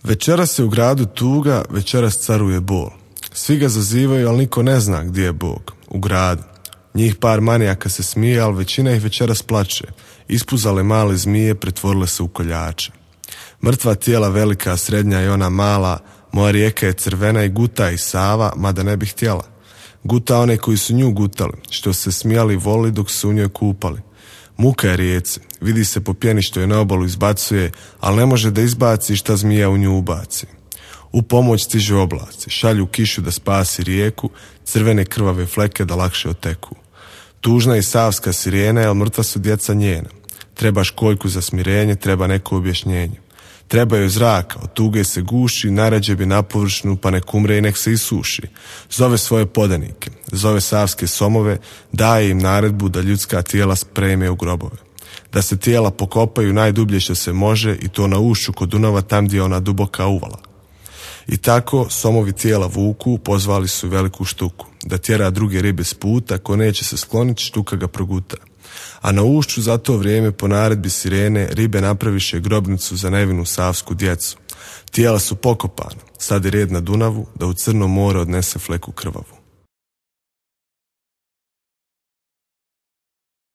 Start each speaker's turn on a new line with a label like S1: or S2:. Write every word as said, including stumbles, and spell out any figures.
S1: Večeras se u gradu tuga, večeras caruje bol. Svi ga zazivaju, ali niko ne zna gdje je Bog. U gradu. Njih par manijaka se smije, ali većina ih večeras plače. Ispuzale male zmije, pretvorile se u koljače. Mrtva tijela velika, srednja i ona mala, moja rijeka je crvena i guta i Sava, mada ne bi htjela. Guta one koji su nju gutali, što se smijali i voli dok su u njoj kupali. Muka je rijeci, vidi se po pjeni što je na obalu izbacuje, ali ne može da izbaci šta zmija u nju ubaci. U pomoć stižu oblaci, šalju kišu da spasi rijeku, crvene krvave fleke da lakše oteku. Tužna i savska sirena, jer mrtva su djeca njena. Treba školjku za smirenje, treba neko objašnjenje. Treba joj zraka, od tuge se guši, narađe bi na površinu, pa nek umre i nek se isuši. Zove svoje podanike, zove savske somove, daje im naredbu da ljudska tijela spreme u grobove. Da se tijela pokopaju najdublje što se može i to na ušću kod Dunava, tam gdje je ona duboka uvala. I tako somovi tijela vuku, pozvali su veliku štuku, da tjera druge ribe s puta, ko neće se skloniti, štuka ga proguta. A na ušću za to vrijeme po naredbi sirene ribe napraviše grobnicu za nevinu savsku djecu. Tijela su pokopana, sad je red na Dunavu da u Crno more odnese fleku krvavu.